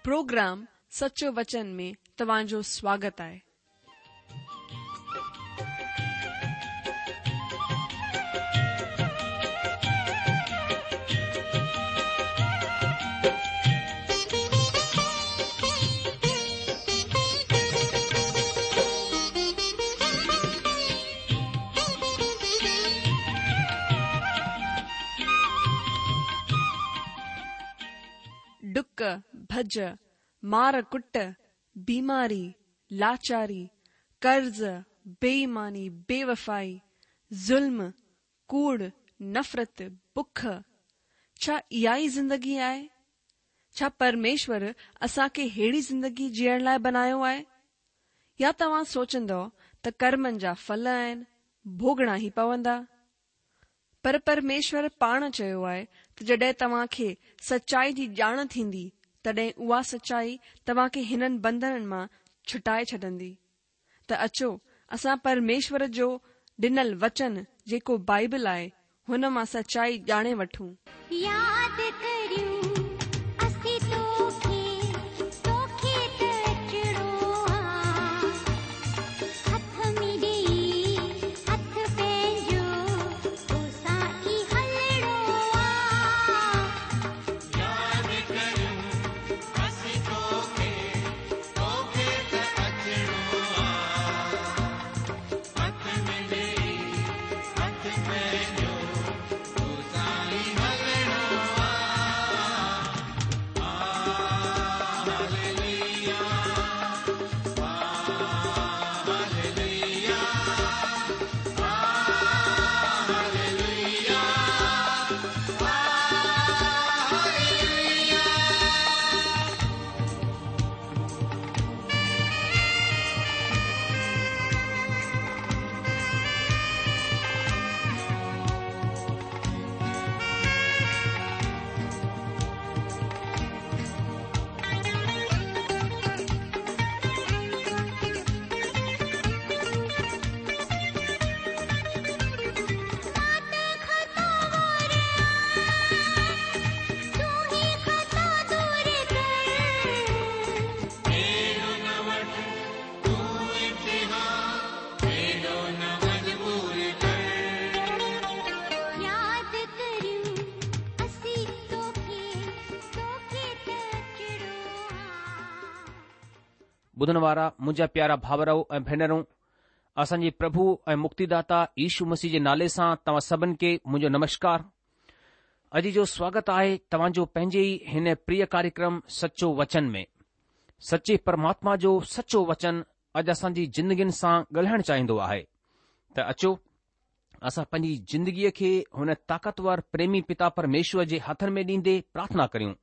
Programme سچو وچن ۾ توهان جو سواگت آهي. ڊڪ، ڀڄ، مار ڪٽ، بيماري، لاچاري، قرض، بي ايماني، بي وفائي، ظلم، ڪوڙ، نفرت، بک، ڇا اها ئي زندگي آهي؟ ڇا پرميشور اسان کي ههڙي زندگي جيئڻ لاء بنايو آهي؟ يا توهان سوچندؤ ته ڪرمن جا ڦل آهن، ڀوڳڻا ئي پوندا؟ پر پرميشور پاڻ چيو آهي ته جڏهن توهان کي سچائي جي ڄاڻ ٿيندي، تڏهن اها سچائي توهان کي هنن بنڌنن مان ڇٽائي ڇڏندي. ته اچو اسان پرميشور جو ڏنل وچن جيڪو بائيبل آهي، هن مان سچائي ڄاڻي وٺون. ياد ڪريون اسين توکي، توکي ته اچڻو آ. هٿ ۾ ڏيئي هٿ پنهنجو، توسان ئي هلڻو آ. ياد ڪريون اسين توکي، توکي ته اچڻو آ. هٿ ۾ ڏيئي هٿ پنهنجو، توسان ئي هلڻو آ. Hallelujah, hallelujah, hallelujah, hallelujah. مان ته خطاوار آهيان، تون ئي خطا دور ڪر. اهڙو نه وٺ تون امتحان، اهڙو نه مجبور ڪر. ياد ڪريون اسين توکي، توکي ته اچڻو آ. ٻڌڻ وارا منهنجا پيارا ڀائرؤ ۽ ڀينرون، اسان جي پرڀو ۽ مڪتيداتا يشو مسيح جي نالي سان توهان سڀن کي منهنجو نمشڪار. اڄ جو سواگت آهي توهان جو پنهنجي ئي هن پريه ڪاريڪرم سچو وچن ۾. سچي پرماتما جو سچو وچن اڄ اسان جي زندگين سان ڳالهائڻ چاهيندو آهي ته اچو اسان پنهنجي زندگيء کي هن طاقتور پريمي پتا پرميشور جي هٿن ۾ ڏيندي پرارٿنا ڪريون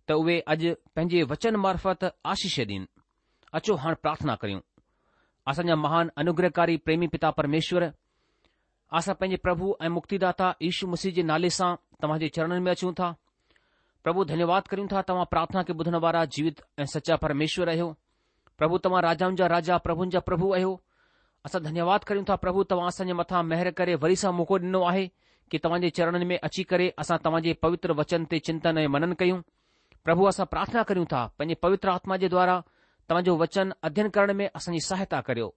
ته اهي اڄ پنهنجي وچن معرفت آشيش ڏين. اچو هاڻ پرارٿنا ڪريون. اسان جا مهان انوگرهڪاري پريمي پتا پرميشور، اسان پنهنجي پرڀو ۽ مڪتيداتا يشو مسيح جي نالي سان توهان جي چرڻن ۾ اچون ٿا. پرڀو ڌنيواد ڪريون ٿا توهان پرارٿنا کي ٻڌڻ وارا جيوت ۽ سچا پرميشور آهيو. پرڀو توهان راجائن جا راجا پرڀن جا پرڀو آهيو. اسان ڌنيواد ڪريون ٿا پرڀو توهان اسان جي مٿان مهر ڪري وري سان موقعو ڏنو آهي ڪي توهان جي چرڻن ۾ اچي ڪري اسان توهان جي پوتر وچن تي چنتن ۽ منن ڪيون. پرڀو اسان پرارٿنا ڪريون ٿا پنهنجي پوتر آتما جي دوارا توهان جو وچن اڌين ڪرڻ ۾ اسان جي سهائتا ڪريو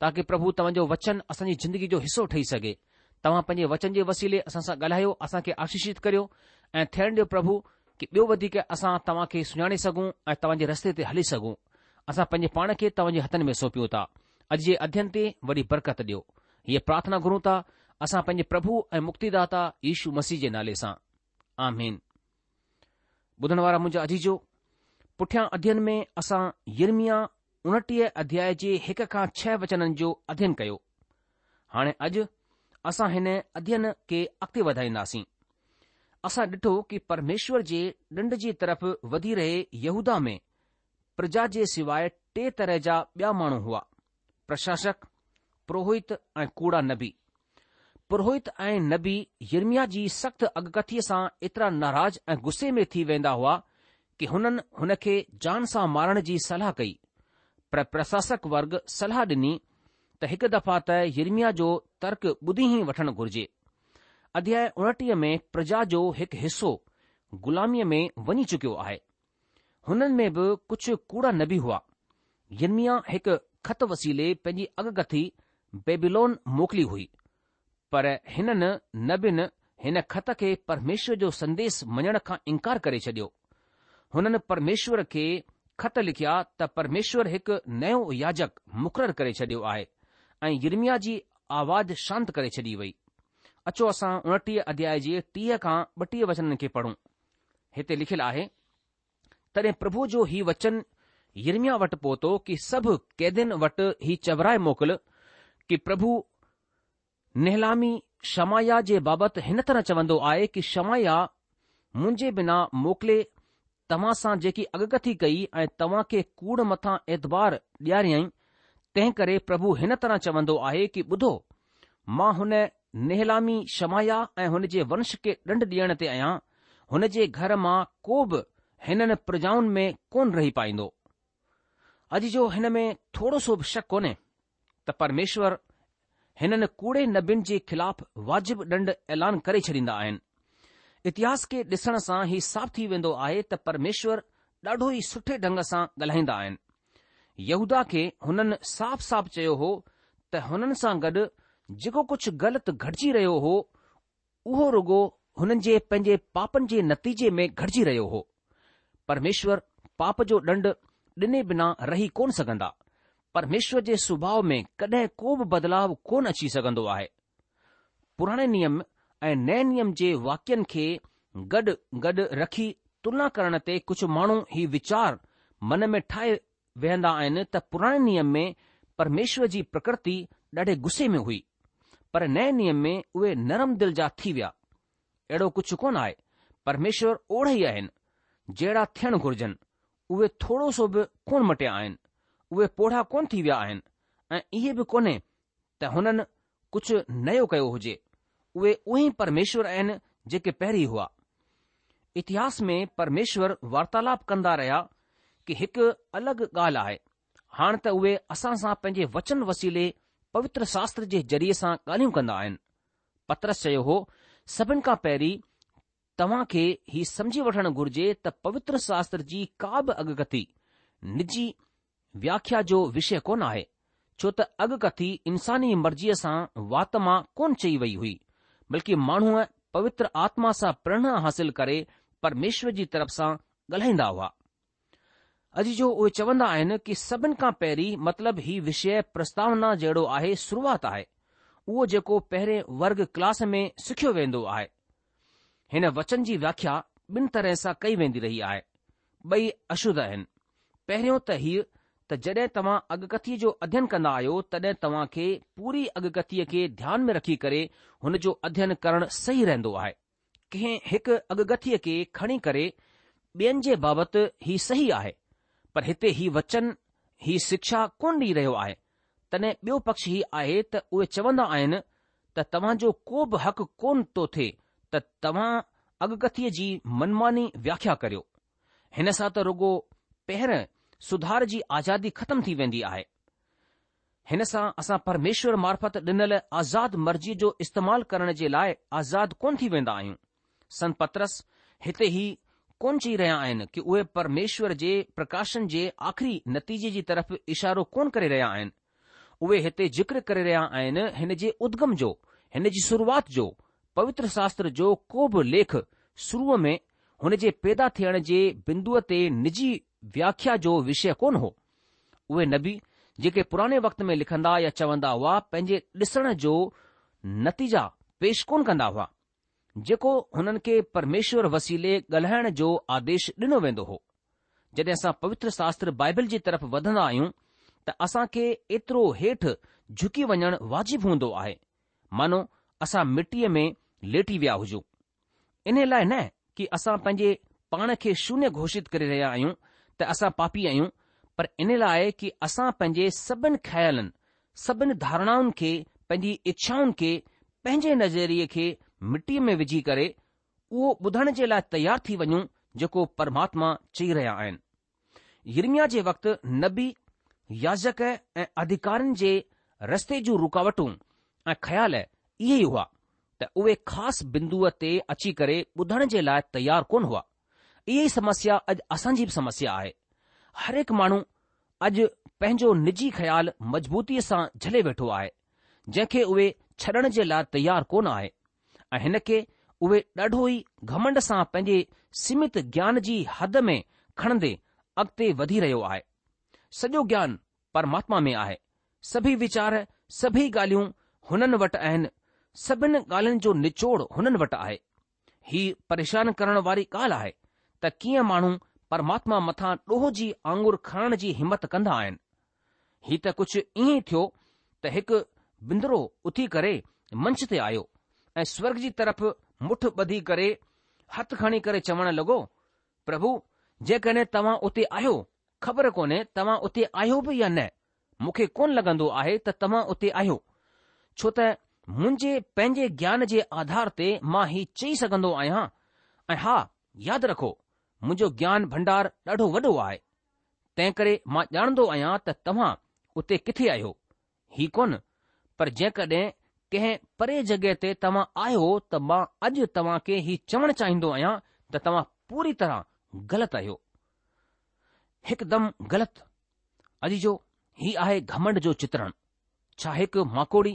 تاڪي پرڀو توهان جو وچن اسان جي زندگي جو حصو ٺهي سگهي توهان پنهنجي وچن جي وسيلي اسان سان ڳالهايو اسان کي آشيشت ڪريو ۽ ٿيڻ ڏيو پرڀو ڪي ٻيو وڌيڪ اسان توهان کي سڃاڻي سگهون ۽ توهان جي رستي تي هلي سگهون اسان پنهنجي پاڻ کي توهان جي هٿن ۾ سونپيون ٿا اڄ جي اڌين تي وڏي برڪت ڏيو هيء پرارٿنا گهرون ٿا اسان پنهنجي پرڀو ۽ مڪتيداتا يشو مسيح جي نالي سان آمين. ٻڌڻ وارا منهنجا عزيزو، پٺيان اڌين ۾ اسان يرمياه 29 اڌياء جي هڪ کان ڇهه وچنن جو اڌين ڪيو. هاڻي اڄ اسان هن اڌين کي اڳتي وڌائينداسين. اسان ڏٺو ڪي پرميشور جي ڏنڊ جي طرف وڌي رهي يهوداه ۾ پرجا جي سواء ٽي طرح جا ٻيا ماڻهو هئا. پرشاسڪ، پروهت ۽ ڪوڙا نبي. پروهت ۽ نبي يرمياه جي سخت اڳڪٿيء سان ايترا ناراض ۽ غصي ۾ ٿي ويندا هئا ڪي هنن هن کي جان سان مارڻ جي صلاح ڪئي. پر پرشاسڪ ورگ صلاح ڏني ته هڪ دفعا ته يرمياه جو ترڪ ٻڌي ئي وٺڻ گهرجي. اڌياء 29 ۾ پرجا جو هڪ حصو غلاميء ۾ وڃي چڪيو آهي. هنن ۾ به ڪجهه ڪوڙا نبي هئا. يرمياه هڪ خط وسيلي پنهنجي اڳڪٿي بيبيلون موڪلي هئي، پر هنن نبين هن خط کي پرميشور جو سنديس مڃڻ کان انڪار ڪري ڇڏيو. هنن پرميشور کي خط لکيا ته پرميشور هڪ نيو ياجڪ مقرر ڪري ڇڏيو آهي ۽ يرمياه جي آواز شانت ڪري ڇڏي وئي. اچو اسان 29 اڌياء جي 30 کان 32 وچنن کي پڙهون. هتي لکيل آهي، تڏهن پرڀوء جو هي وچن يرمياه وٽ پهتو ڪي سڀ قيدين وٽ هي چورائي موڪل ڪي پرڀو نهلامي شمعياه جي بابت هن طرح چوندو آهي ڪي شمعياه منهنجي بنا موڪلي توهان سان جيڪي اڳڪٿي ڪئي ۽ توهان کي ڪوڙ مٿان اعتبار ڏياريائين، تنهن ڪري پرڀو هن طرح چوندو آهي ڪي ٻڌو، مان هن نهلامي شمعياه ۽ هن جي ونش کي ڏنڊ ڏيڻ تي آهيان، هن جي گهر مان ڪو به هنن پرجائن ۾ ڪونه رهي پائيندو. عزيزو هن ۾ ٿورو سو به شڪ ڪونهي ته پرميشور هنن ڪوڙي نبين جي خلاف واجب ڏنڊ اعلان ڪري ڇڏيندا آهن. اتهاس کي ڏسڻ سان هي صاف ٿي ويندو آهي ته پرميشور ڏاڍو ئي سٺي ڍنگ سان ڳالهائيندا آهن. يهوداه کي هنن صاف صاف چيو هو ته هنن سان گڏ جيڪو ڪجهه غلط گهٽجي رهيو هو اهو رڳو هنن جي پنهنجي پاپن جي نتيجي ۾ گهٽجي رهيو هو. پرميشور پاپ جو ڏنڊ ڏني بنا رهي ڪونه سگهندا. پرميشور جي سڀاء ۾ ڪڏهن ڪو به بدلاء ڪونه اچي سگهندو آهي. پراڻي نيم ۽ نئين نيم جي واڪين کي گڏ گڏ رکي تلنا ڪرڻ تي ڪجهه ماڻهو هي ويچار من ۾ ٺاهي ويهندا آهن ته پراڻي نيم ۾ پرميشور جي پرڪرتي ڏاڍي غصي ۾ هئي، پر نئين نيم ۾ اهي نرم دل جا ٿي ويا. اهڙو ڪجهه ڪونه آهي. پرميشور اوڙا ئي آهن، جهڙا ٿيڻ گهرجن. اهي ٿورو سو به ڪونه مٽيا آهن. اهي پوڙها ڪونه ٿي ويا آهن ۽ ائين به ڪونهي ته هنن ڪجهه نيو ڪيو هجي. اهي اهي ئي پرميشور آهن جيڪي پهرين هئا. اتهاس ۾ پرميشور وارتالاپ ڪندا رهيا ڪي هڪ الڳ ڳالهه آهي. هاڻ ته اهي اسان سان پنهنجي وچن وسيلي پوتر شاستر جي ذريعي سان ڳالهيون ڪندا آهن. پطرس چيو هو، سڀن کان پهرين توهان کي هي سمجهي وٺڻ گهرجي ته پوتر شاستر جي ڪا به اڳڪٿي نجي وياکيا جو وشيه ڪونه آهي، ڇو ته اڳڪٿي انساني مرضيء سان وات مان ڪونه چئي وئي هئي، بلڪه ماڻهو پوتر آتما سان پريرڻا حاصل ڪري پرميشور جي طرف سان ڳالهائيندا هئا. عزيزو اهي چوندا آهن ڪي سڀن کان پهرين مطلب هي وشيه پرستاونا جهڙو آهي شروعات آهي، اهو جيڪو پهرين ورگ ڪلاس ۾ سکيو ويندو آهي. هن وچن جي وياکيا ٻن طرح سان ڪئي ويندي رهي آهي. ٻئي اشڌ آهن. پهريون ته هيء ته جڏهن توهان اڳڪٿيء جو اڌين ڪندا آهيو تڏهن توهان کي پوري اڳڪٿيء کي ڌيان ۾ رکي ڪري هن جو اڌين ڪرڻ صحيح رهندو آهي. ڪنهن هڪ اڳڪٿيء کي کڻي ڪري ٻين جي بابت هي صحيح آهي، پر هتي هي وچن هي شکشا ڪونه ڏئي رهيو آهي. تڏهن ٻيو پڪش هي آهي ته اهي چوندا آهن ته توهان جو ڪو به حق ڪونه ٿو ٿئي ته توهان اڳڪٿيء جي منماني وياکيا ڪريو. هن سان ته رڳو پهرين سڌار جي آزادي ختم ٿي ويندي آهي. هن سان اسان پرميشور معرفت ڏنل آزاد مرضيء جو استعمال ڪرڻ جي لاء آزاد ڪونه ٿي ويندا آهيون. سنت پطرس هتي هي ڪونه چئي رهيا آهن ڪي اهي پرميشور جي پرڪاشن جي آخري نتيجي جي طرف اشارو ڪونه ڪري رهيا آهن. اهي هتي ذڪر ڪري رهيا آهن هن جي ادگم جو، هن جي شروعات جو، پوتر شاستر جو ڪو به ليک شروع ۾ هن جي پيدا ٿيڻ جي بندوء تي نجي وياکيا جو وشيه ڪونه هو. اهي نبي جيڪي پراڻي وقت ۾ لکندا يا چوندا هئا پنهنجي ڏسڻ جو نتيجا پيش ڪونه ڪندا هئا. جيڪو هنن کي پرميشور وسيلي ڳالهائڻ جو آديش ڏنو ويندو هو. جڏهن اسان پوتر شاستر بائبل جي طرف وڌندا آهيون ته اسان کي ايترو هيٺ جهڪي وڃڻ واجب هوندو آهي، مانو اسان مٽيء ۾ ليٽي ويا هجون. انهي لاء نه ڪي اسان پنهنجي پاڻ کي شونيه گهوشت ڪري رهيا آهيون ته اسان پاپي آهيون، پر انهي لاء ڪي اسان پنهنجي سڀن خيالن، سڀن ڌارڻائن کي، پنهنجي اڇائن کي، پنهنجي نظريي کي مٽيء ۾ وجهي ڪري اهو ٻڌڻ جي لاء تيار ٿي وڃون جيڪو پرماتما چئي رهيا آهن. يرمياه جي وقت نبي، ياجڪ ۽ اڌڪارين جي رستي جون رڪاوٽون ۽ خيال اهي ئي هئا ته اهي خاص بندوء تي اچي ڪري ٻڌڻ جي لاء تيار ڪونه هئا. اها ئي سمسيا اڄ اسان جي به سمسيا آهي. هر هڪ ماڻهو اڄ پنهنجو نجي خيال مضبوطيء سان جهلي ويٺو آهي، جنهن کي اهي ڇڏڻ جي لاء تيار ڪونه آهي ۽ هن کي اهي ڏاڍو ئي گهمنڊ سان پنهنجي سيمت گيان جي حد ۾ کڻندي اڳتي وڌي رهيو آهي. سڄو گيان پرماتما ۾ آهي. سڀئي ويچار، سڀئي ڳالهيون هنن وٽ آهن، سڀن ڳالهين جو نچوڙ هنن وٽ آهي. هي پريشان ڪرڻ واري ڳالهه آهي ته ڪيئن ماڻهو پرماتما مٿان ڏوهه جي آڱر کڻڻ جي همت ڪندا آهن. هي ته ڪجهه ائين ئي ٿيو ته هڪ بندرو اٿي ڪري منچ تي آيو ۽ سورڳ جي طرف مٺ ٻڌي ڪري هٿ کڻي ڪري چوڻ لڳو، پرڀو جيڪڏهن توهان اتي آهيو، خبر ڪونهي توهان اتي آهيو به يا نه، مون کي ڪونه لڳندو آهي ته توهان اتي آهيو، ڇو ته منهنجي پنهنجي گيان جي آڌار تي مان هي چئي سگهندو آهيان ۽ ها، ياد رکو، منهنجو گيان ڀنڊار ڏاڍو وڏو آهي، تنهنڪري مان ڄاڻندو آهيان ته توهان اتي ڪٿي آهيو، هي ڪونه، پر جيڪڏهن ڪنهن پري جڳهه تي توهان آهيو ته مان اڄ توهان کي هي چوڻ چاهيندو آهيان ته توهان پوري طرح غلط آهيو. هڪدم غلط. عزيزو! هي آهي گهمنڊ جو چترڻ. ڇا هڪ ماڪوڙي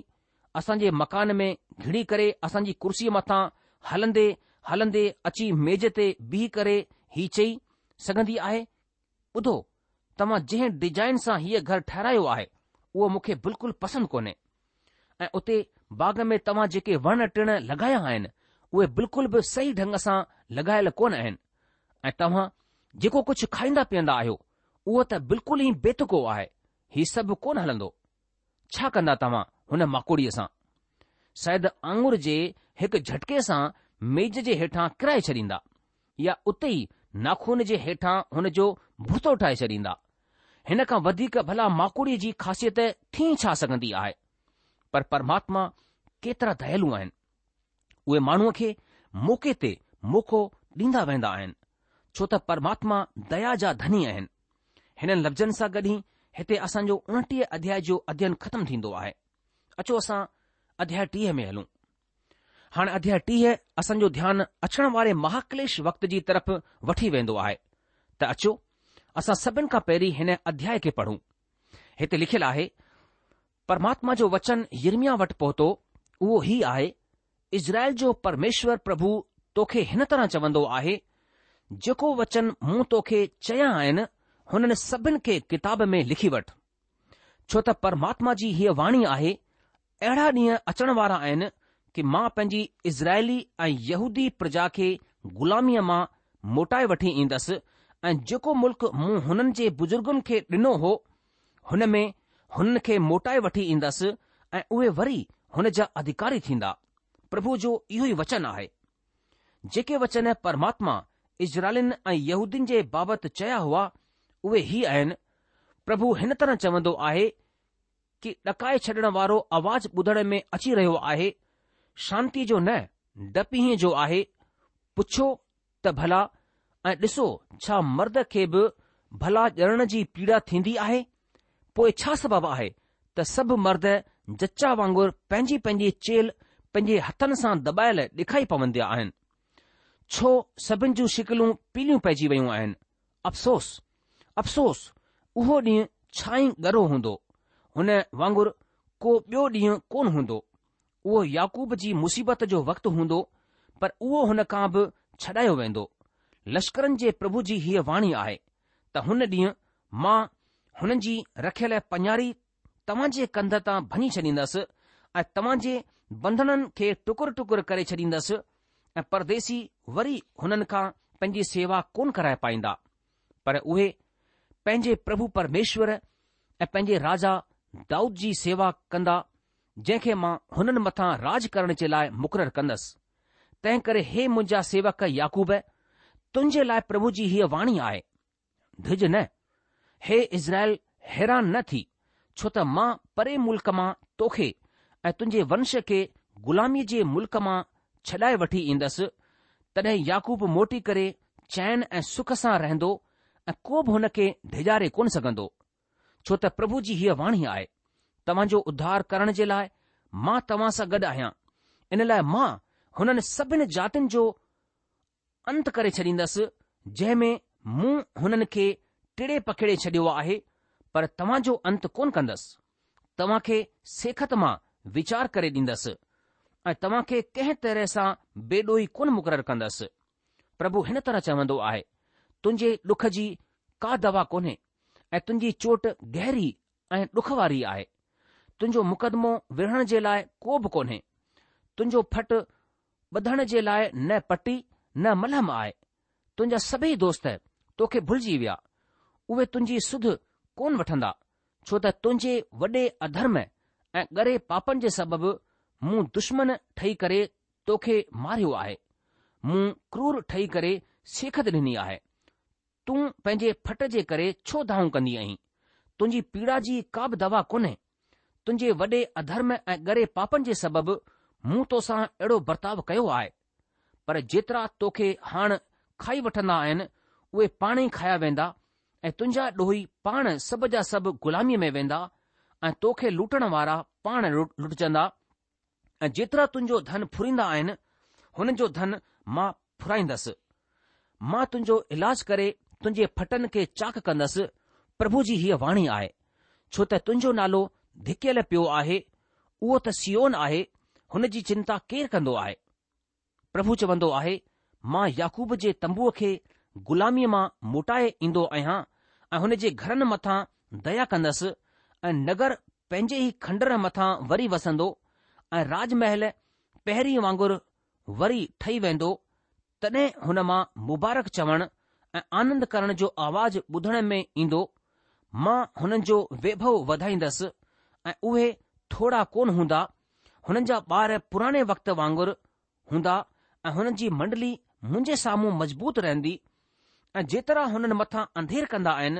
اسان جي مڪان ۾ گهڙي ڪري اسان جي ڪرسيء مٿان هلندي هلندي اچي ميز تي بيهي ڪري هي چئي سگهندي آهي، ٻڌو، توهان جنهن ڊيزائن سان هيء گهر ٺهرايو آهي، اهو مون کي بلڪل پسند ڪونهي ۽ اتي باغ ۾ توهان جيڪي وڻ ٽڻ لڳايا آهن، اهي بلڪل به صحيح ڍنگ سان لڳايل ڪونه آهن ۽ توهان جيڪو ڪجهه کائيندا پيئندا آهيو، اهو ته بلڪل ئي بيتڪو آهي، هي سڀ ڪونه هلندو. ڇا ڪندا توهان هن ماڪوڙيء سان؟ شايد آڱر جي هڪ جهٽڪي سان ميز جي هيٺان ڪرائي ڇڏيندا يا اتي ئي ناخون جي هيٺان هن جو ڀتو ٺاهي ڇڏيندا. هن کان وڌيڪ ڀلا ماڪوڙيء جي خاصيت ٿي ڇا سگهندي آهي؟ پر پرماتما ڪيترا ديالو آهن. اهي ماڻهوء کي موقعي تي موقعو ڏيندا ويندا آهن، ڇو ته پرماتما ديا جا ڌني آهن. هنن لفظن سان گڏ ئي هتي اسان جو 29 اڌياء جو اڌيين ختم ٿيندو آهي. اچو اسان اڌياء 30 ۾ هلون. هاڻ اڌياء 30 اسان جو ڌيان اچڻ واري مهاڪليش وقت جي طرف وٺي ويندو آهي ته اچو اسان سڀن کان پهرين هن اڌياء کي پڙهون. هتي لکيل آهي، پرماتما جو وچن يرمياه وٽ پهتو، اهو هي آهي، اسرائيل جو پرميشور پرڀو توکي هن طرح چوندو آهي، جيڪو وچن مون توکي چيا آهن، هنن سڀن کي ڪتاب ۾ لکي وٺ. ڇو ته پرماتما جي هيء واڻي آهي، اهڙا ڏينهن اچڻ وارا آهن ڪي مان پنهنجي اسرائيلي ۽ يهودي پرجا کي غلاميء مان موٽائي وٺي ايندس ۽ جيڪو ملڪ مون هنن جي بزرگن کي ڏنو هو، هن ۾ هنن کي موٽائي وٺي ايندس ۽ اهي وري هن جا اڌڪاري ٿيندا. پرڀو جو اهو ئي وچن آهي. جيڪي وچن پرماتما اسرائيلين ۽ يهودين جي بابت چيا هئا، اهي هي آهن، پرڀو هن طرح چوندو آهي ڪي ڏڪائي ڇڏڻ وارو آواز ٻڌڻ ۾ اچي رهيو آهي، شانتيء جو نه، ڊپ ئي جو آهي، پڇو ته ڀلا ۽ ڏسو ڇا مرد کي به ڀلا ڄڻڻ جي پيڙا ٿيندي آهي؟ پوء ڇا سبب آهي ته سڀ مرد جچا وانگر پنهنجي پنهنجي چيلهه پنهنجي هٿن سان دٻايل ڏکائي پوندا آهن؟ ڇو سڀن جون شڪلون پيليون پئجي ويون آهن؟ افسوس! افسوس! اهو ڏينهن ڇا ئي ڳرو هوندو، هن وانگر ڪو ٻيو ڏينهن ڪونه هوندو. اهو يعقوب جي مصيبت جو وقت هوندو، پر اهو هن کان به ڇڏايو ويندو. لشڪرن جي پرڀو جي هيء واڻي آهي، ته هن ڏينهن مان هنن جي رکيل پڃاري توهان جي ڪنڌ تان ڀڃي ڇڏيندس، ۽ توهان جي بنڌنن کي ٽڪر ٽڪر ڪري ڇڏيندس، ۽ پرديسي وري هنن کان پنهنجي سيوا ڪونه ڪرائي پائيندا، پر اهي پنهنجي پرڀو پرميشور ۽ پنهنجي راجا دائود جي سيوا ڪندا جنهن کي مان هنن مٿان راڄ ڪرڻ جي لاء مقرر ڪندس. تنهنڪري هي منهنجا سيوڪ يعقوب، تنهنجي لاء پرڀو جي هيء واڻي آهي، ڊڄ نه، هي اسرائيل حيران نه ٿي، ڇو ته مان پري ملڪ مان توکي ۽ تنهنجي ونش کي غلاميء جي ملڪ مان ڇڏائي وٺي ايندس، تڏهن يعقوب موٽي ڪري چين ۽ سک سان رهندو ۽ ڪو به هن کي ڊيڄاري ڪونه سگهندو. ڇو ته پرڀو جي هيء واڻي آهي، توهان جو اڌار ڪرڻ جي لاء مان توهان سان گڏ آهيان، ان لاء مان هنن سڀن جاتين جو انت ڪري ڇڏيندس، جنهن ۾ مون هنن کي ٽڙي پکيڙي ڇڏيو آهي، پر توهان جو انت ڪونه ڪندس. توهان کي سيکت مان ويچار ڪري ڏيندس ۽ توهان کي ڪنهن طرح سان بي ڏوهي ڪونه مقرر ڪندس. پرڀو هن طرح چوندو آهي، تنهنجي ڏک جي ڪا دوا ڪونهي ۽ تنهنجي چوٽ گهري ۽ ڏک واري آهي. تنهنجو مقدمو وڙهڻ جي لاء ڪو به ڪونهي. تنهنجو ڦٽ ٻڌڻ جي لاء نه پٽي نه ملهم آهي. تنهنجا سڀئي دوست توکي ڀلجي ويا. اهي تنهنجي سڌ ڪونه وٺندا، ڇو ته تنهنجي وڏي اڌرم ۽ ڳري پاپن جي سبب مون دشمن ٺهي ڪري توکي ماريو آهي. مون ڪرور ٺهي ڪري سيکت ڏني آهي. تون پنهنجي ڦٽ جي ڪري ڇو دانهون ڪندي آهين؟ تنهنجي پيڙا جي ڪا به دوا ڪونهي. تنهنجي وڏي اڌرم ۽ ڳري پاپن جي سبب مون توسان اهڙو برتاء ڪيو آهي. پر جيترا توکي هاڻ کائي وٺندا آهن، اهي پاڻ ئي کايا ويندا ۽ تنهنجا ڏوهي پاڻ سڀ جا سڀ غلاميء ۾ ويندا ۽ توکي لوٽڻ وارا پاڻ لٽجندا ۽ جيترا تنهنجو ڌن ڦريندا آهن، هنن جو ڌن مان ڦرائيندس. مان تنهنجو علاج ڪري تنهنجي ڦٽن کي چاڪ ڪندس، پرڀو جي هيء واڻي آهي، ڇو ته تنهنجو نالو ڌڪيل پيو آهي، اهو ته صيون آهي، هن جي چنتا ڪير ڪندو آهي؟ پرڀو چوندو آهي، مان يعقوب جي تنبوء کي غلاميء مان موٽائي ايندو آهيان ۽ هن جي گهرن مٿان ديا ڪندس ۽ نگر پنهنجي ئي کنڊر مٿان وري وسندو ۽ راج محل پهرين وانگر وري ٺهي ويندو، تڏهن هن مان مبارڪ چوڻ ۽ آنند ڪرڻ جو آواز ٻڌڻ ۾ ايندو، مان هنن جو ويڀو وڌائيندس ۽ اهي ٿورا ڪونه هوندا، هنن جا ٻار پراڻي وقت وانگر هوندا ۽ هنن جي منڊلي منهنجي سامهون مضبوط رهندي ۽ جيترا هنن مٿان انڌير ڪندا آهن،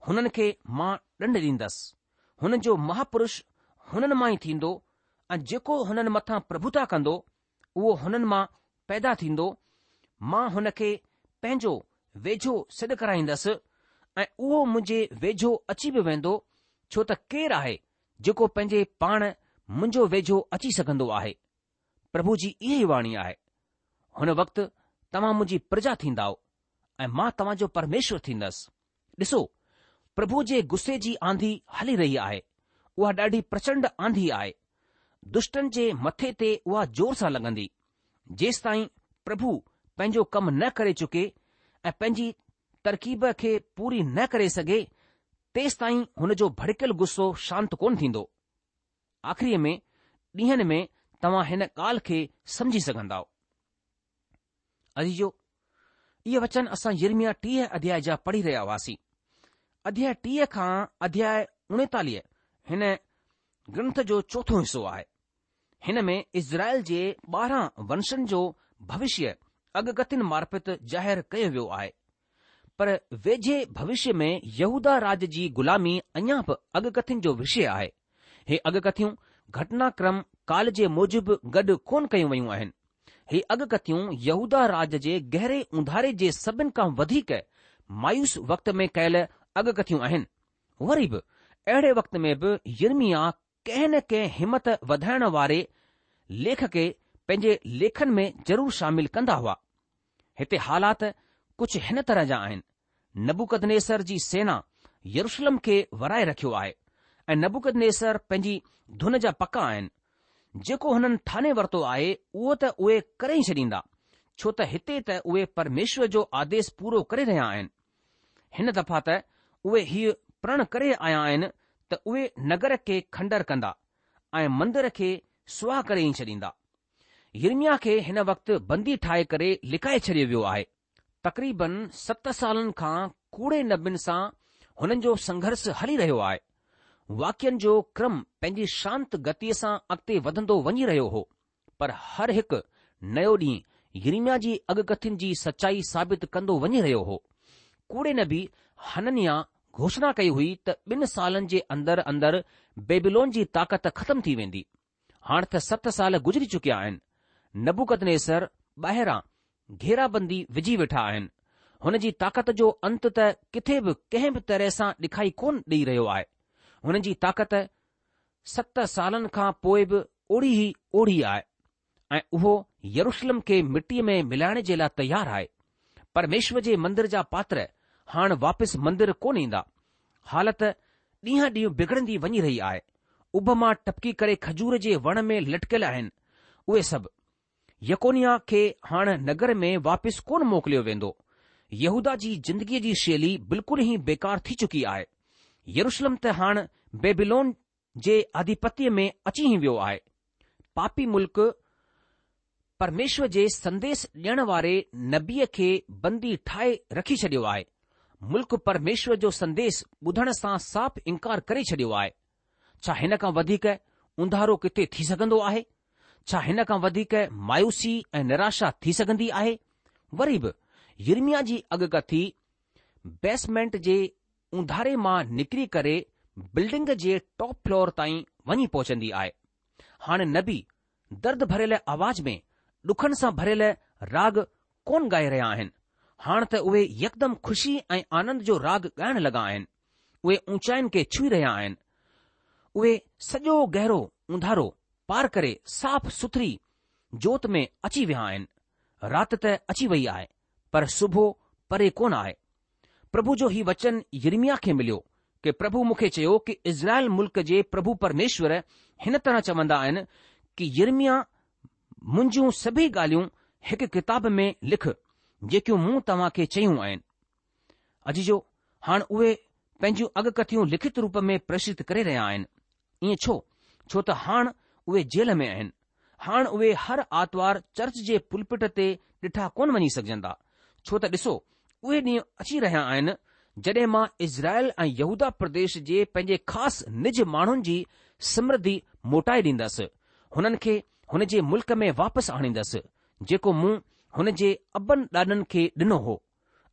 هنن کي مان ڏنڊ ڏيندس. هنن جو مهاپرش هنن مان ئي ٿيندو ۽ جيڪو هنن مٿان پرڀوتا ڪندو، اهو هنن مان پيدا ٿيندو، مان هن کي پنهنجو ويجهو سڏ ڪرائيندس ۽ اهو منهنجي ويجهو اچي به ويندو، ڇو ته ڪير آهي جيڪو پنهنجي پاڻ منهنجو ويجهو اچي سگهندو آهي؟ پرڀو جي اها ئي واڻي آهي. هن وقت توهان منهنجي پرجا ٿيندائو ۽ مان توهان جو پرميشور ٿيندس. ڏسو، پرڀو جي غصي جي آنڌي هلي رهي آهي، اها ڏاڍي پرچنڊ آنڌي آهي. دشٽن جي مٿي تي اها زور سان لڳندي، جيستائين پرڀو پنهنجو ڪم نه ڪري چڪي ۽ پنهنجي ترڪيب کي پوري نه ڪري سگهي، تيستائين هن جو ڀڙڪيل غصو شانت ڪونه ٿيندو. آخريء ۾ ڏينهن ۾ توهان هن ڳالهه کي سمجهي سگهندائو. عزيزو! اهي وچن اسان يرمياه 30 اڌياء جا پڙهي رهيا هئاسين. اڌياء 30 کان اڌياء 39 هن گرنٿ جو چوٿون حصو آهي. هن ۾ اسرائيل جي 12 ونشن جو ڀوشيه اڳڪٿين معرفت ظاهر ڪيو ويو آهي. پر ويجهي ڀوشيه ۾ يهوداه راڄ جي غلامي اڃا به اڳڪٿين جو وشيه آهي. هي اڳڪٿيون گهٽنا ڪرم ڪال جي موجب گڏ ڪونه ڪيون ويون آهن. هي اڳڪٿيون يهوداه راڄ جي گهري اونڌاري جي سڀن کان وڌيڪ مايوس وقت ۾ ڪيل اڳڪٿيون آهن. وري به اهڙي وقت ۾ به يرمياه ڪنهن نه ڪنهن همت وڌائڻ واري ليک کي پنهنجي ليکن ۾ ضرور شامل ڪندا هئا. هتي حالات ڪجهه هن طرح جا آهن، نبوڪدنيسر جي سينا يروشلم کي ورائي رکيو آهي ۽ نبوڪدنيسر پنهنجي ڌن جا پڪا آهن. جيڪو هنن ٺاني ورتو آهي اهو ته اهي ڪري ئي ڇڏيندا، ڇو ته هتي ته اهي پرميشور جو آديش پورو ڪري رهيا آهن. هن دفعا ته اهي هيء پرڻ ڪري آيا آهن ته اهي نگر کي کنڊر ڪندا ۽ مندر کي سواهه ڪري ئي ڇڏيندا. يرمياه کي هن وقت بندي ٺاهي ڪري لڪائي ڇڏيو ويو آهي. تقريبن ست سالن کان ڪوڙي نبين سان هنن جو سنگهرس هلي رهيو آهي. واقعن جو ڪرم پنهنجي شانت گتيء سان اڳتي وڌندو وڃي رهيو هو، پر هر هڪ نيو ڏينهن يرمياه جي اڳڪٿين جي سچائي ثابت ڪندو وڃي رهيو هو. ڪوڙي نبي حننياه گهوشڻا ڪئي هئي ته ٻن سالن جي اندر اندر بيبيلون جي طاقت ختم ٿي ويندي. هاڻ ته ست سال گذري چڪيا آهن. نبوڪدنيسر ٻاهران گهيرابندي وجهي ويٺا آهن. هن جي طاقت جو انت ته ڪٿي به ڪنهن به طرح سان ڏکائي ڪونه ڏئي رهيو آهي. هن جي طاقت ست سالن کان پوء به اوڙي ئي اوڙي آهي ۽ اهو يروشلم کي مٽيء ۾ ملائڻ جي لاء تيار آهي. پرميشور جي مندر جا پاتر هاڻ واپس مندر ڪونه ايندا. حالت ڏينهن ڏينهن بگڙندي وڃي رهي آهي. اڀ مان ٽپڪي ڪري کجور جي وڻ ۾ لٽڪيل آهن اهي سڀ. يڪونياه کي هاڻ نگر ۾ واپس ڪونه موڪليو ويندو. يهوداه جي زندگيء جي شيلي بلڪل ئي بيڪار ٿي چڪي آهي. يروشلم ته هاڻ بيبيلون جي آڌيپتيء ۾ اچي ئي ويو آهي. پاپي ملڪ پرميشور جي سنديس ڏيڻ واري نبيء کي بندي ٺاهي رکي ڇڏيو آهي. ملڪ پرميشور جو سنديس ٻڌڻ سان صاف انڪار ڪري ڇڏيو آهي. ڇا هن کان وڌيڪ اونڌارو ڪٿي ٿي سگهندو آهي؟ ڇا هن کان وڌيڪ مايوسي ۽ نراشا ٿي سگهندي آهي؟ وري به يرمياه جي اڳڪٿي بيسمينٽ جي اونڌاري مان نڪري ڪري بلڊنگ جي ٽاپ فلور تائين وڃي پهچندي آهي. هاڻي نبي درد ڀريل آواز ۾ ڏکن سان ڀريل راڳ ڪونه ڳائي رهيا آهن. هاڻ ته اهي يڪدم خوشي ۽ آنند جو راڳ ڳائڻ لڳا آهن. اهي اونچاين کي ڇهي رهيا آهن. اهي سڄو گهرو اونڌارو پار ڪري صاف سٿري جوت ۾ اچي ويا آهن. رات ته اچي وئي آهي، پر صبح پري ڪونه آهي. پرڀو جو هي وچن يرمياه کي مليو ڪي پرڀو مون کي چيو ڪي اسرائيل ملڪ جي پرڀو پرميشور هن طرح چوندا آهن ڪي يرمياه منهنجون سڀئي ڳالهيون هڪ ڪتاب ۾ لک جيڪيون مون توهان کي چيون آهن. عزيزو! هاڻ اهي پنهنجون اڳڪٿيون لکت روپ ۾ پريشت ڪري رهيا آهن. ائين ڇو؟ ڇو ته هاڻ اهي جيل ۾ آهن. هاڻ اهي هر آتوار چرچ جي پلپٽ تي ڏٺا ڪونه وڃي سگهجندا. ڇو ته ڏسو، اهي ڏينهن اچي رهيا آهن، جڏهن مان اسرائيل ۽ يهوداه پرديش جي پنهنجي خاص نج ماڻهن جي سمرڌي موٽائي ڏيندس. هنن کي هن جي ملڪ ۾ واپس آڻيندس، جيڪو مون هن جي ابن ڏاڏن کي ڏنو هو.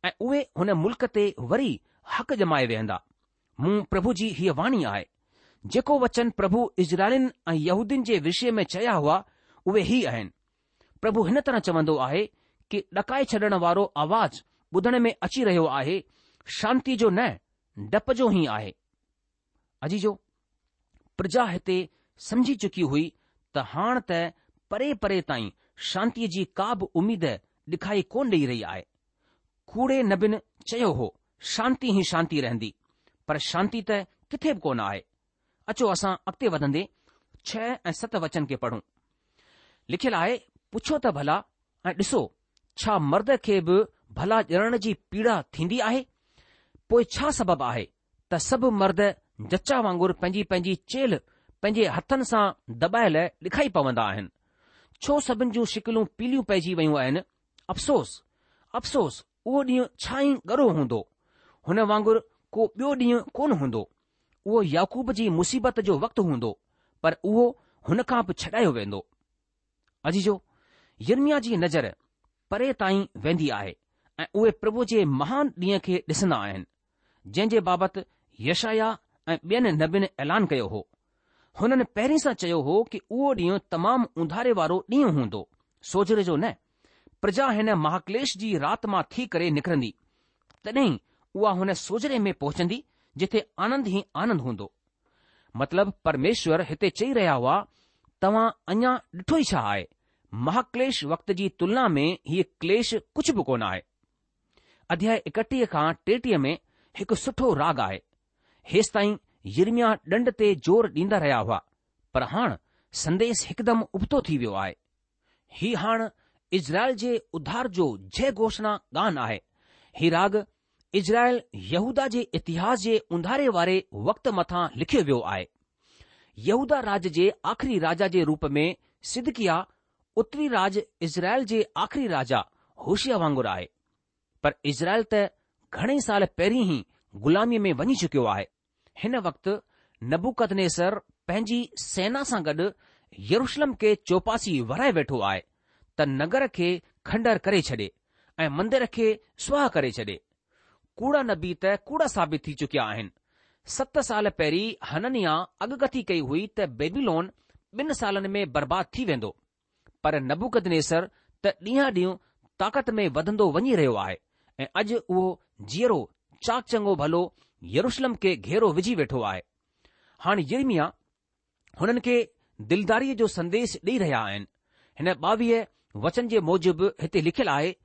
۽ اهي هن ملڪ تي وري حق ڄمائي ويهندا. مون پرڀو جي هيء واڻي آهي. جيڪو وچن پرڀو اسرائيلين ۽ يهودين جي وشي ۾ چيا هئا، اهي هي آهن. پرڀو هن طرح چوندو آهي ڪي ڏڪائي ڇڏڻ وارو آواز ٻڌڻ ۾ اچي رهيو آهي، شانتيء جو نه، ڊپ جو ئي آهي. عزيزو! پرجا هتي سمجهي چڪي هئي ته هاڻ ته پري پري تائين شانتيء جي ڪا به اميد ڏکائي ڪونه ڏئي رهي آهي. ڪوڙي نبين چيو هو، شانتي ئي شانتي رهندي، پر شانتي ته ڪٿي به ڪونه آهي. اچو اسان اڳتي وڌندي ڇهه ۽ ست وچن کي پڙهون. لکيل آهي، پڇو ته ڀلا ۽ ڏسو، ڇا مرد کي به ڀلا ڄڻڻ جي پيڙا ٿيندي آهي؟ پوء ڇا سبب آهي ته سڀ مرد جچا وانگر پنهنجي پنهنجي چيلهه پنهنجي هٿن سان دٻايل ڏکائي پوندا آهن. ڇو سڀن جون شڪلون پيليون پئجي ويون آهن؟ افسوس! افسوس! اهو ڏينهن ڇا ئي ڳرو هوندو! هن وانگر ڪو ٻيو ڏينهن ڪونه هوندو. اهو يعقوب جي مصيبت جو وقت هوندو، پر اهو هن کان به ڇڏايو ويندو. عزيزو! يرمياه جي نظر پري تائين ويندي آهي ۽ اهي پرڀو جي مهان ڏينهن کي ڏسندا آهن، جنهن جي بابت يشعيا ۽ ٻين نبين اعلان ڪيو هو. هنن پهرين سان چيو هو ڪي اهو ڏينهن تمام اونڌاري وارو ڏينهن هوندو، سوجهري جو نه. پرجا هن مهاڪليش جي رات مان ٿي ڪري نڪرندي، تڏهن اها هن سوجهري ۾ پهچندي جٿي آنند ئي آنند هوندو. مطلب پرميشور هتي چئي رهيا هئا، توهان اڃا ڏٺو ئي ڇا آهي؟ مهاڪليش وقت جي تلنا ۾ هيء ڪليش ڪجهه به ڪونه آهي. اڌياء 31 کان 33 ۾ هڪ سٺو راڳ آهي. هيستائين يرمياه ڏنڊ تي زور ڏيندا رهيا هئا، پر هاڻ سنديس هڪدم ابتو ٿي ويو آهي. هي هاڻ اسرائيل جي اڌار جو جئه گهوشڻا گان آهي. هي راڳ اسرائيل يهوداه جي اتهاس جي اونڌاري واري وقت مٿان لکيو ويو آهي. يهوداه راج جي آخري راجا جي روپ ۾ صدقياه اتري راج اسرائيل جي آخري راجا هوشيا وانگر آهي. پر اسرائيل ته گهڻئي سال پهرين ئي غلاميء ۾ وڃي چڪيو آهي. هن وقت نبوڪدنيسر پنهنجي سينا سان گڏ يروشلم کي چوپاسي ورائي ويٺو آهي ته نگر کي کنڊر ڪري ڇڏي ۽ مندر کي سواهه ڪري ڇڏي. ڪوڙا نبي ته ڪوڙا ثابت ٿي چڪيا آهن. ست سال پهرين حننياه اڳڪٿي ڪئي هئي ته بيبيلون ٻن سالن ۾ برباد ٿي ويندو. پر نبوڪدنيسر ته ڏينهان ڏينهن طاقت ۾ وڌندو وڃي رهيو آهي ۽ اڄ اهو جيئرو چاق چڱو ڀلو يروشلم کي گهيرو وجهي ويٺو آهي. هاڻ يرمياه هنن کي دلداريء جو سنديش ڏئي رهيا آهن. هن ٻاويهه وچن جي موجب هتي لکيل آهي،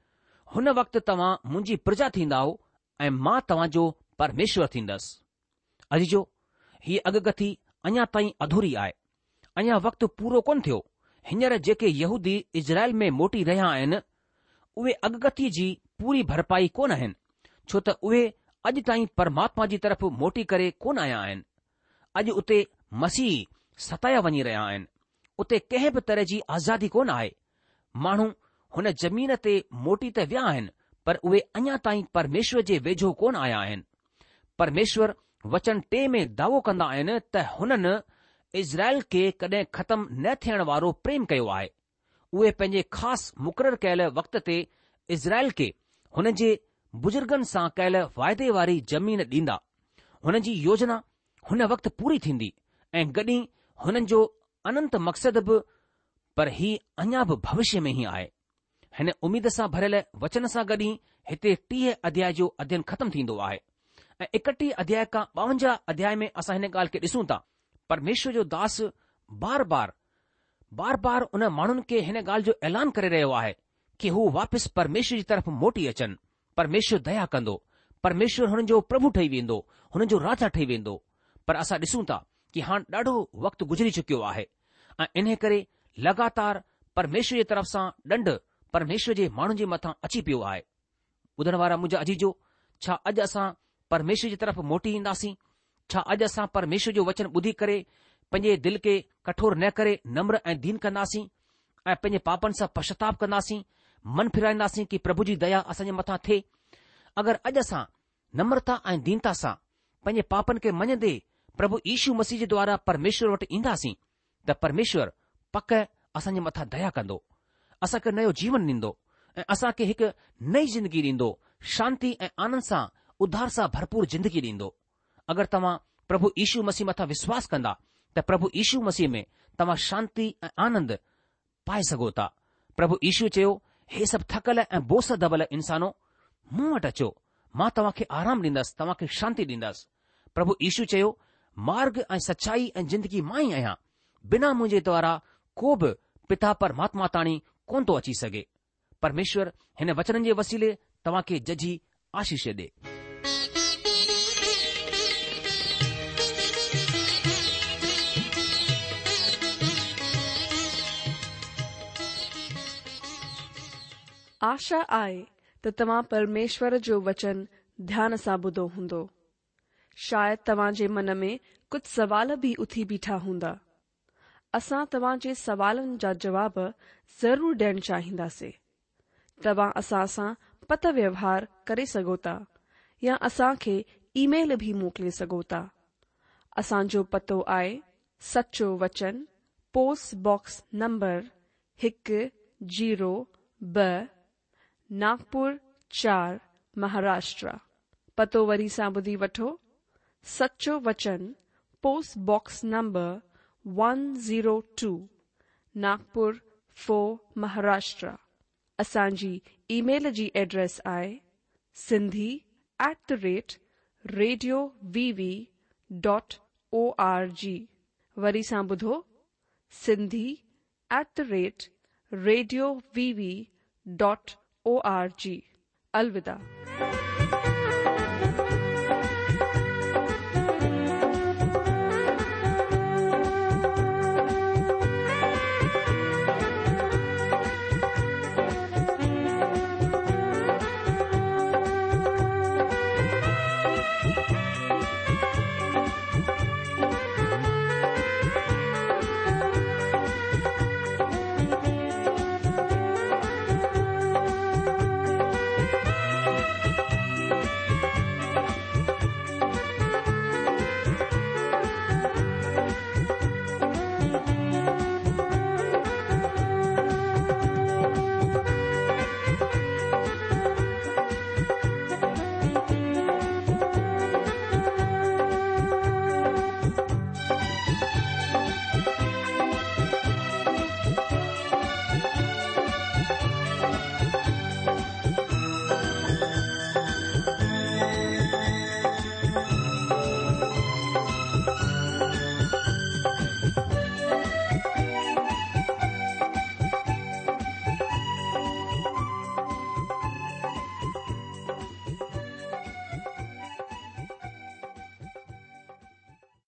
هن وقت توهان منهنجي پرجا ٿيندائو ۽ مان توهان جو پرميشور ٿيندس. عزيزو! هيء اڳڪٿي اڃا تائين اڌوري آهي. اڃا وقت پورو ڪونه ٿيو. هينئر جيڪي يهودي اسرائيل ۾ موٽي رهيا آهن، اهي اڳڪٿيء جي پوري ڀرپائي ڪونه آهن، ڇو ته اهي اڄ تائين پرماتما جي طرف موٽي ڪري ڪونه آيا آهن. اڄ اتي مسيحي ستايا وڃي رهيا آهن. اتي ڪنهن به طرح جي آزادي ڪونه آهي. ماڻهو هن زمين تي موٽي ته ويا آهن، پر اهي اڃا تائين پرميشور جي ويجهو ڪونه آيا آهن. پرميشور وچن ٽي ۾ دعوو ڪندا آهن ته هنن اسرائيل کي ڪڏهن ختم نه ٿيڻ وارو پريم ڪيو آهي. اهي پنهنجي خاص مقرر ڪيل وقت تي اسرائيل کي هن جي بزرگن سان ڪيل واعدي واري زمين ڏيندا. هن جي يوجنا هن وقت پوري ٿيندي ۽ گڏ ئي هنن جو اننت مقصد به پر هي اڃا به ڀوشيه ۾ ئي آهي. هن اميد سان ڀريل وچن سان گڏ ئي هتي 30 اڌياء جو اڌيين ختم ٿيندو آهي ۽ 31 اڌياء کان 52 اڌياء ۾ اسان هن ڳالهه کي ڏسون ٿا. پرميشور جو داس بار بار بار بار ان ماڻهن کي هن ڳالهه جو اعلان ڪري رهيو آهي ڪي هو واپس پرميشور جي طرف موٽي اچن، پرميشور ديا ڪندو، پرميشور هنن جو پرڀو ٺهي ويندو، هنن جو راجا ٺهي ويندو. پر اسان ڏسون ٿا ڪي هاڻ ڏاڍو وقت گذري چڪيو آهي ۽ انهي ڪري لڳاتار پرميشور جي طرف سان ڏنڊ پرميشور جي ماڻهن جي مٿان اچي پيو آهي. ٻڌڻ وارا منهنجا عزيزو، ڇا اڄ اسان پرميشور جي طرف موٽي اينداسين؟ ڇا اڄ اسان پرميشور جو وچن ٻڌي ڪري پنهنجي دل کي ڪٺور نه ڪري نمر ۽ دين ڪنداسين ۽ پنهنجي پاپن سان پشچاتاپ ڪنداسين، من ڦيرائينداسين ڪي پرڀو جي ديا اسان جي مٿان ٿئي؟ اگر اڄ اسان نمرتا ۽ دينتا سان پنهنجي پاپن کي مڃندي پرڀو يشو مسيح جي دوارا پرميشور وٽ اينداسين ته پرميشور پڪ اسان جي مٿان ديا ڪندو، اسان کي نيو جيون ڏيندو ۽ اسان کي هڪ نئين زندگي ڏيندو، شانتي ۽ آنند سان اڌار سان ڀرپور زندگي ڏيندو. اگر توهان پرڀو يشو مسيح مٿان وشواس ڪندا ته پرڀو يشو مسيح ۾ توهان شانتي ۽ آنند پائي سگهو ٿا. پرڀو يشو چيو، هي سڀ ٿڪل ۽ بوجه سان دٻل انسانو، مون وٽ اچو، مان توهان کي آرام ڏيندس، توهان کي شانتي ڏيندس. پرڀو يشو چيو، مارگ ۽ سچائي ۽ زندگي مان ئي آهيان، بنا منهنجي دوارا ڪو به پتا پرماتما تاڻي ڪونه ٿو اچي سگهي. پرميشور هن وچنن جي وسيلي توهان کي ججهي آشيش ڏي. آشا آهي ته توهان پرميشور جو وچن ڌيان سان ٻڌو هوندو. شايد توهان جي من ۾ ڪجهه سوال به اٿي بيٺا هوندا. اسان توهان جي سوالن جا جواب ضرور ڏيڻ چاهينداسين. توهان اسان سان پتر ويوهار ڪري سگهو ٿا يا اسان کي اي ميل به موڪلي سگهو ٿا. اسان جو پتو آهي سچو وچن پوسٽ باڪس نمبر هڪ زيرو ٻه ناگپور چار مهاراشٽرا. پتو وري سان ٻڌي وٺو سچو وچن post box number one zero two Nagpur four Maharashtra. اسان جي اي ميل جي ايڊريس آهي Sindhi at the rate radio V V dot O R G وري سان ٻڌو Sindhi at the rate radio V V dot O R G الوداع.